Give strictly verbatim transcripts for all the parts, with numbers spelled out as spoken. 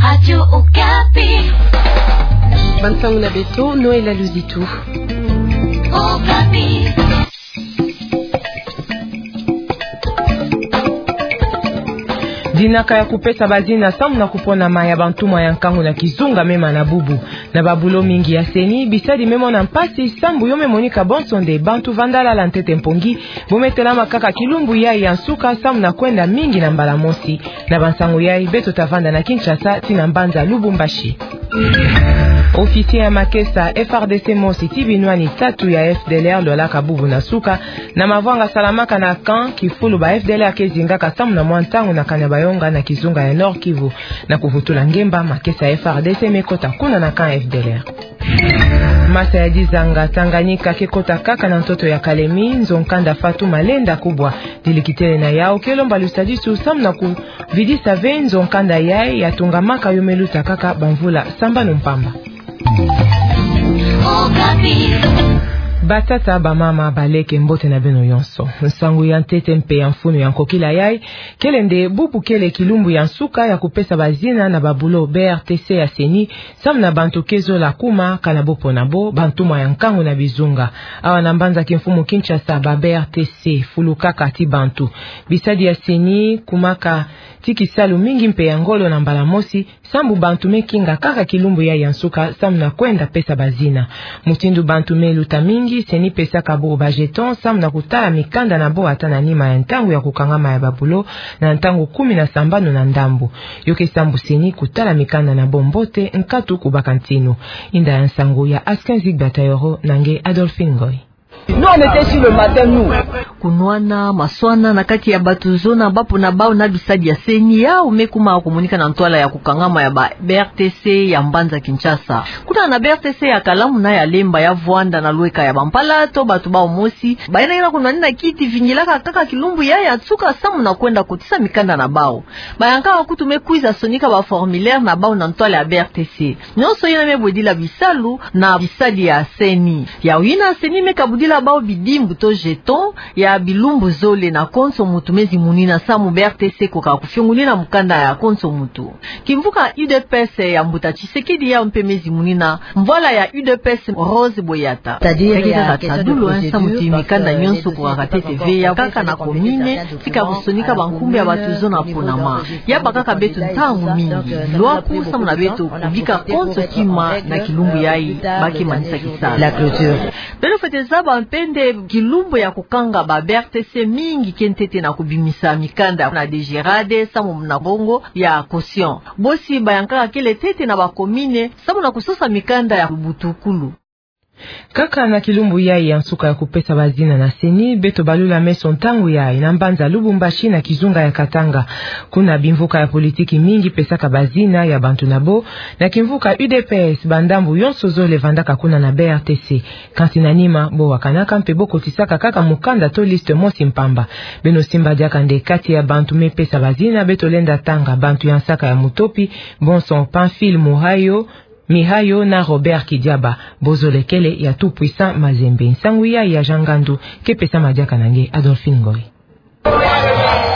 Radio Okapi. Bansangu na beto, Noëlla Luzitu. Okapi. Dinaka ya kupesa bazina samu na kuponama ya bantumwa ya nkangu na kizunga mema na bubu. Na babulo mingi ya CENI, bisadi me mona mpasi, sambu yo me monika bonso nde bantu vandalala ntete mpongi, bo me telama kaka kilumbu yai ya nsuka samu na kwenda mingi na mbala mosi. Na bansangu yai, beto ta vanda na Kinshasa tii na mbanza Lubumbashi. Officier ya makesa FARDC mosi tii binwani tatu ya FDLR lwalaka bubu na suka na mavwanga salamaka na camp kifulu ba FDLR ke zingaka samu na mwa ntangu na kani ya Bayonga na kizunga ya Nord-Kivu. Na kuvutula ngemba, makesa ya FARDC me kota kuna na camp FDLR. Masa ya dizanga Tanganyika ke kota kaka na ntoto ya Kalemi, nzo nkanda Fatou Malenda Kubwa. Dilikitele na yau ke lomba lusadisu samu na kuvidisa ve nzo nkanda yai ya tungamaka yo me luta kaka bamvula sambanu mpamba. Batata, bamama, baleke, mbote na beno yonso. Nsangu ya ntete mpe ya mfunu ya nkokila yai kele nde bubu kele kilumbu ya nsuka ya kupesa bazina na babulo BRTC ya CENI, samu na bantu ke zola kuma, kana bo pona bo, bantumwa ya nkangu na bizunga. Awa na mbanza kimfumu Kinshasa, ba BRTC fulukaka tii bantu. Bisadi ya CENI kumaka tii kisalu mingi mpe ya ngolo na mbala mosi, sambu bantu me kinga kaka kilumbu yai ya nsuka samu na kwenda pesa bazina. Mutindu bantu me luta mingi, CENI pesaka bo ba jeton samu na kutala mikanda na bo ata na nima ya ntangu ya kukangama ya babulo, na ntangu kumi na sambanu na ndambu. Yo ke sambu CENI kutala mikanda na bo mbote, nkatu kubaka ntinu. Inda ya nsangu ya Askin Zigba Tayoro na nge Adolphine Ngoy. Nous, on était sur le matin, nous. Kunwana, maswana na kati ya bato zona, bapo na bau na bisadi ya CENI yau me kuma kumonika na ntwala ya kukangama ya ba BRTC ya mbanza Kinshasa. Kuna na BRTC ya Kalamu na ya Lemba, ya vwanda na lweka ya bampala to bato bau mosi, bayina yina kunwanina kiti vingilaka kaka kilumbu yai ya nsuka samu na kwenda kotisa mikanda na bau. Bayankaka kutu me kwiza sonika ba formulaire na bau na ntwala ya BRTC. Nyonso yina me bwedila bisalu na bisadi ya CENI. Yau yina CENI me kabudila bau bidimbu to jeton ya bilumbu zole na konso mutu me zimunina samu BRTC koka kufiongunina mukanda ya konso mutu. Kimvuka UDPS ya mbuta Tshisekedi yau mpe me zimunina mvwala ya UDPS Rose Boyata. Kake kaka tadulu, samu ti mikanda nyonso kokaka ntete ve, ya kaka na commune, tika kusonika bankumbu ya bato zona ponama. Ya bakaka beto ntangu mingi. Lwaku samu na beto kubika konso kima na kilumbu yai ba ke manisa kisala. Beno fwete zaba mpe nde kilumbu ya kukanga ba BRTC mingi ke ntete na kubimisa mikanda na DGRAD samu na mbongo ya caution. Bosi bayankaka kele ntete na ba commune samu na kusosa mikanda ya butukulu. Kaka na kilumbu yai ya nsuka ya kupesa bazina na CENI, beto balula meso ntangu yai na mbanza Lubumbashi na kizunga ya Katanga. Kuna bimvuka ya politiki mingi pesaka bazina ya bantu na bo. Na kimvuka UDPS, bandambu yonso zole vandaka kuna na BRTC. Kansi na nima, bo wakanaka mpe bo kotisaka kaka mukanda to liste mosi mpamba. Beno simba diaka nde kati ya bantu me pesa bazina, beto lenda tanga bantu ya nsaka ya mutopi, bonso Pamphile Mihayo, Mihayo na Robert Kidiaba. Bo zole kele ya Tout Puissant Mazembe. Nsangu yai ya Jean Ngandu ke pesama diaka na nge Adolphine Ngoy.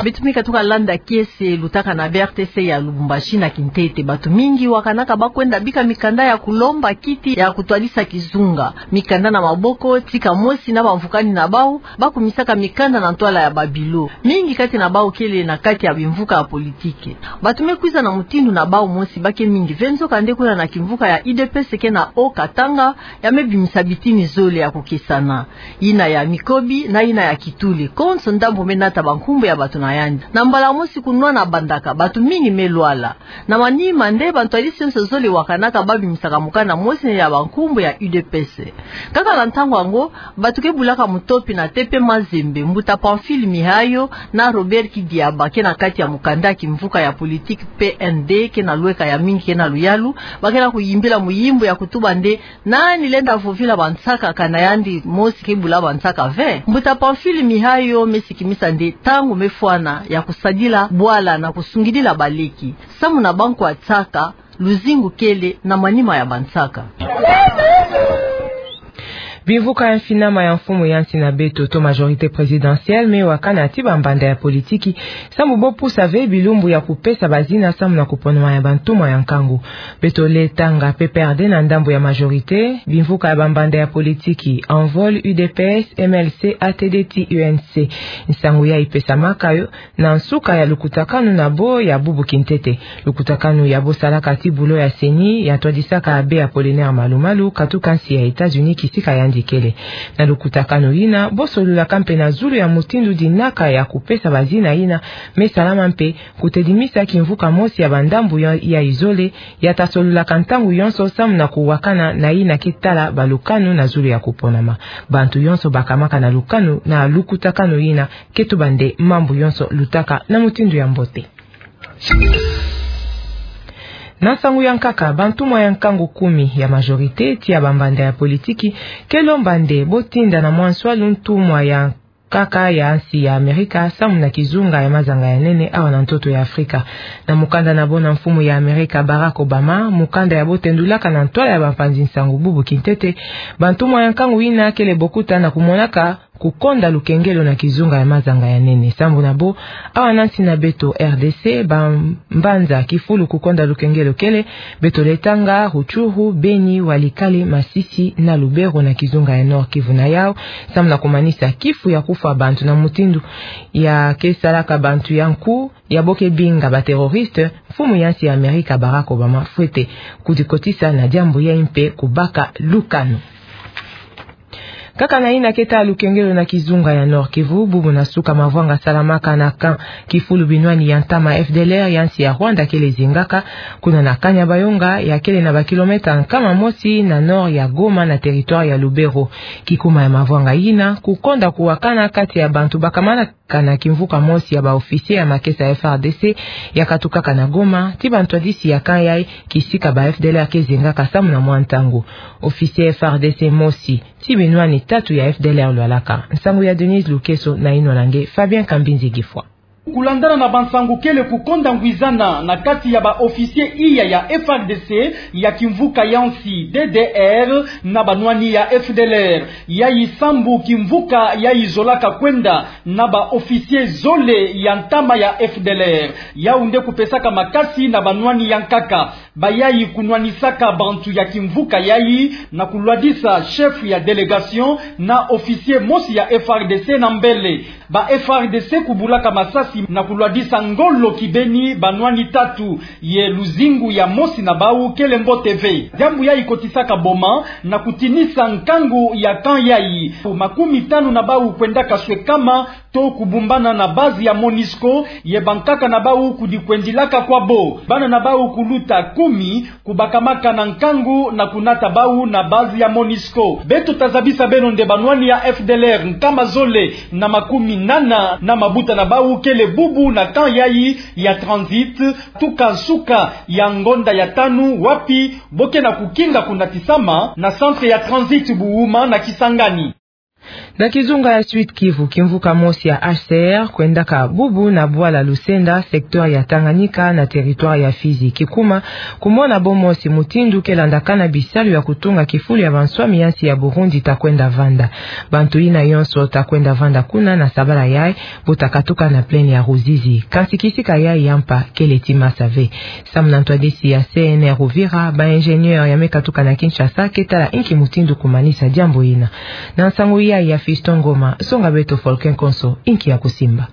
Beto me katuka landa kiese lutaka na BRTC ya Lubumbashi na kintete. Bato mingi wakanaka ba kwenda bika mikanda ya kulomba kiti ya kutwadisa kizunga. Mikanda na maboko, tika mosi na bamvukani na bau, ba kumisaka mikanda na ntwala ya babilo. Mingi kati na bau kele na kati ya bimvuka ya politiki. Bato me kwiza na mutindu na bau mosi ba ke mingi ve, nzokande kuna na kimvuka ya UDPS ke na Haut-Katanga, ya me bimisa bitini zole ya kukesana. Yina ya Mikobi na yina ya Kitule. Konso ndambu me nata bankumbu ya bato na yandi. Na mbala mosi kunwana bandaka, bato mingi me lwala. Na manima nde bantwadisi yonso zole wakanaka ba bimisaka mukanda mosi ya bankumbu ya UDPS. Kaka na ntangu yango, bato ke bulaka mutopi na T P Mazembe, mbuta Pamphile Mihayo na Robert Kidiaba ke na kati ya mukanda ya kimvuka ya politiki P N D ke na lweka ya mingi ke na luyalu, ba ke na kuyimbila muyimbu ya kutuba nde: Nani lenda vovila bansaka kana yandi mosi ke bula bansaka ve? Mbuta Pamphile Mihayo me sikimisa nde ntangu me fwana ya kusadila bwala na kusungidila baleki. Samu na bankwa nsaka, luzingu kele na manima ya bansaka. Bimvuka ya mfinama ya mfumu ya nsi na beto to majorité présidentielle me wakana ti bambanda ya politiki, sambu bo pusa ve bilumbu ya kupesa bazina samu na kuponama ya bantumwa ya nkangu. Beto lenda tanga P P R D na ndambu ya majorité, bimvuka ya bambanda ya politiki, Envol, U D P S, M L C, A T D ti U N C. Nsangu yayi pesamaka yo na nsuka ya lukutakanu na bo ya bubu kintete. Lukutakanu ya bo salaka ti bulo ya CENI, ya twadisaka Abbé Apollinaire Malu-Malu, katuka nsi ya États-Unis kisika yandi kele. Na lukutakanu yina, bo solulaka mpe na zulu ya mutindu dinaka ya kupesa bazina yina me salama mpe kutedimisa kimvuka mosi ya bandambu ya, ya izole, ya ta solulaka ntangu yonso samu na kuwakana na yina ke tala balukanu na zulu ya kuponama. Bantu yonso bakamaka na lukanu na lukutakanu yina, ke tuba nde mambu yonso lutaka na mutindu ya mbote. Na nsangu ya nkaka, bantumwa ya nkangu kumi ya majorité ti ya bambanda ya politiki ke lomba nde bo tinda na mwa nswalu ntumwa ya nkaka ya nsi ya Amerika samu na kizunga ya mazanga ya nene awa na ntoto ya Afrika. Na mukanda na bo na mfumu ya Amerika Barack Obama, mukanda ya bo tendulaka na ntwala ya bampanzi nsangu bubu kintete, bantumwa ya nkangu yina kele bokuta na kumonaka kukonda lukengelo na kizunga ya mazanga ya nene. Sambu na bo, awa na nsi na beto R D C, bambanza kifulu kukonda lukengelo kele, beto lenda tanga Rutshuru, Beni, Walikale, Masisi na Lubero na kizunga ya Nord-Kivu. Na yau, samu na kumanisa kifu ya kufwa bantu na mutindu ya ke salaka bantu ya nku, ya bo ke binga ba terroriste, mfumu ya nsi ya Amerika Barack Obama fwete kudikotisa na diambu yayi mpe kubaka lukanu. Kaka na yina ke tala lukengelo na kizunga ya Nord-Kivu, bubu na suka mavwanga salamaka na camp kifulu binwani ya ntama F D L R ya nsi ya Rwanda kele zingaka, kuna na Kanyabayonga, ya kele na ba kilomètre nkama mosi na nord ya Goma na territoire ya Lubero. Kikuma ya mavwanga yina, kukonda kuwakana kati ya bantu bakamanaka na kimvuka mosi ya ba officier ya makesa ya F R D C ya katukaka na Goma, ti bantwadisi ya camp yayi kisika ba F D L R ke zingaka samu na mwa ntangu. Officier F R D C mosi ti binwani tatu ya F D L R lwalaka. Nsangu ya Denise Lukeso na yinwana nge Fabien Kambinzi Gifwa. Kulandana na bansangu kele kukonda ngwizana na kati ya ba officier iya ya F R D C ya kimvuka ya nsi D D R na banwani ya F D L R. Yayi sambu kimvuka yayi zolaka kwenda na ba officier zole ya ntama ya F D L R. Yau nde kupesaka makasi na banwani ya nkaka. Bayayi kunwanisaka bantu ya kimvuka yayi na kulwadisa chef ya délégation na officier mosi ya F R D C na mbele. Ba F R D C kubulaka masasi na kulwadisa ngolo kibeni banwani tatu, ye luzingu ya mosi na bau kele mbote ve. Diambu yayi kotisaka boma na kutinisa nkangu ya camp yayi. Makumi tanu na bau kwendaka swekama to kubumbana na base ya MONUSCO, ye bankaka na bau kudikwendilaka kwa bo. Bana na bau kuluta kumi kubakamaka na nkangu na kunata bau na base ya MONUSCO. Beto tazabisa beno nde banwani ya F D L R nkama zole na makumi nana na mabuta na bau kele bubu na camp yayi ya transit, tuka nsuka ya ngonda ya tanu, wapi bo ke na kukinga kunatisama na centre ya transit Buhuma na Kisangani. Na kizunga ya Sud-Kivu, kimvuka mosi ya H C R kwendaka bubu na bwala Lusenda, secteur ya Tanganyika, na territoire ya Fizi. Kikuma, kumona bo mosi mutindu ke landakana bisalu ya kutunga kifulu ya banswami ya nsi ya Burundi ta kwenda vanda. Bantu yina yonso ta kwenda vanda kuna na sabala yayi, bo ta katuka na plaine ya Ruzizi. Kansi kisika yayi ya mpa kele ti masa ve. Samu na ntwadisi ya C N R Uvira, ba ingénieur ya me katuka na Kinshasa ke tala inki mutindu kumanisa diambu yina. Na nsangu yayi ya Fiston Ngoma, songa beto Folkin Konso inki ya kusimba.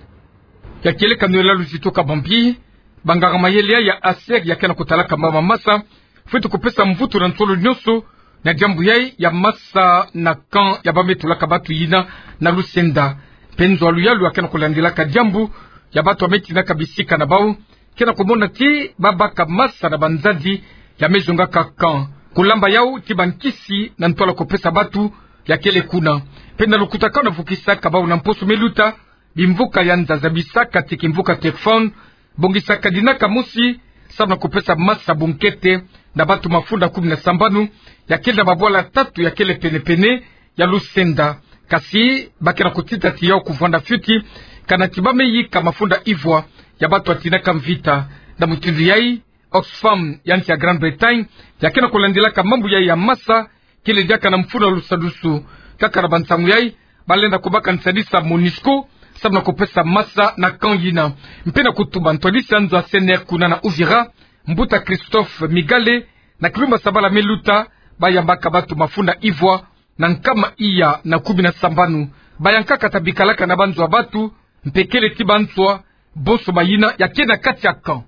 Ya kieleka nzololo zituka bambi, banganga mayele ya H C R ya ke na kutalaka mama masa, fwete kupesa mvutu na nsolo nyonso na diambu yayi ya masa na camp ya ba me tulaka batu yina na Lusenda. Mpe nzo ya luyalu ya ke na kulandilaka diambu ya batu ya me tinaka bisika na bau, ke na kumona ti ba baka masa na banzadi ya me zongaka camp. Kulamba yau ti bankisi na ntwala kupesa batu ya kele kuna. Mpe na lukutakanu vukisaka bau na mposo me luta, bimvuka ya nza zabisaka ti kimvuka Tekfon bongisaka dinaka mosi, samu na kupesa masa bunkete na batu mafunda kumi na sambanu ya kele na babwala tatu ya kele pene-pene ya Lusenda. Kasi ba ke na kutita ti yau kuvwanda fioti, kana ti ba me yika mafunda ivwa ya batu ya tinaka mvita. Na mutindu yayi, Oxfam ya nsi ya Grande-Bretagne ya ke na kulandilaka mambu yayi ya masa, kele diaka na mfunu ya lusadusu. Kaka na bansangu yai, balenda kubaka nsadisa MONUSCO, samu na kupesa masa na camp yina. Mpe na kutuba ntwadisi ya nzo ya C N R kuna na Uvira, Mbuta Christophe Migale, na kilumbu ya sabala me luta, bayambaka batu mafunda ivwa, na nkama iya na kumi na sambanu. Bayankaka ta bikalaka na banzo ya batu, mpe kele ti banswa, bonso bayina ya ke na kati ya camp.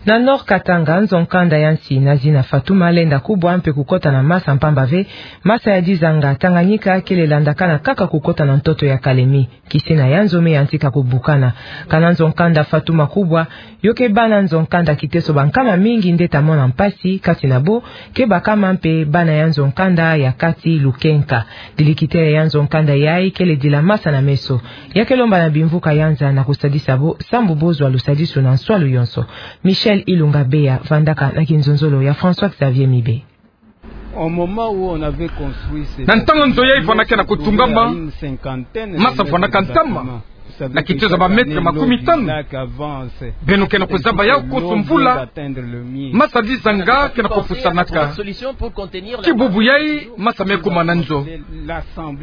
Na Nord Katanga, nzo-nkanda ya nsi na zina Fatuma lenda kubwa mpe kukota na masa mpamba ve masa ya dizanga Tanganyika kele landakana kaka kukota na ntoto ya Kalemi. Kisina ya nzo me yantika kubukana. Kana nzo-nkanda Fatuma kubwa, yo ke bana nzo-nkanda kiteso ba nkama mingi nde ta mona mpasi, kati na bo ke bakama mpe bana ya nzo-nkanda ya kati Lukenka. Dilikitele ya nzo-nkanda yai kele dila masa na meso. Ya ke lomba na bimvuka ya nza na kusadisa bo, sambu bozwa lusadisu na nswalu yonso. Michel Ilunga Beya vandaka na kinzonzolo ya François Xavier Mibe. Na ntangu nzo yai fwanaka na kutungama, masa fwanaka ntama, na kitezo ba mètre makumi tanu. Beno ke na kuzaba yau konso mvula, masa dizanga ke na kupusanaka. Ti bubu yai, masa me kuma na nzo.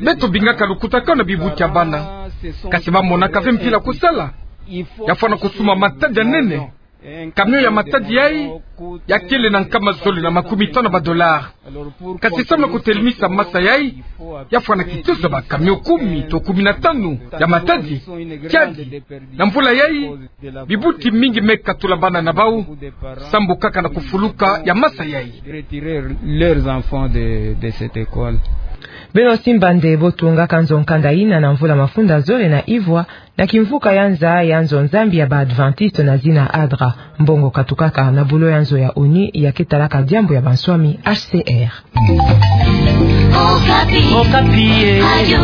Beto bingaka lukutakanu na bibuti ya bana. Kasi bamonaka ve mpila kusala. Ya fwana kusuma matadi ya nene. Camion ya matadi yai, ya kele na nkama zole na makumi tanu ya ba dollars. Kasi samu na kutelemisa masa yai, ya fwana kitezo ba camion kumi to kumi na tanu ya matadi. Kiadi, na mvula yai, bibuti mingi me katula bana na bau, sambu kaka na kufuluka ya masa yai. Beno simba nde bo tungaka nzo-nkanda yina na mvula mafunda zole na ivwa, na kimvuka ya nza ya nzo-nzambi ya ba Adventiste na zina ADRA. Mbongo katukaka na bulo ya nzo ya ONU ya ke talaka diambu ya banswami, H C R. Okapi. Okapi, eh. Radio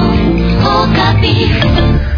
Okapi.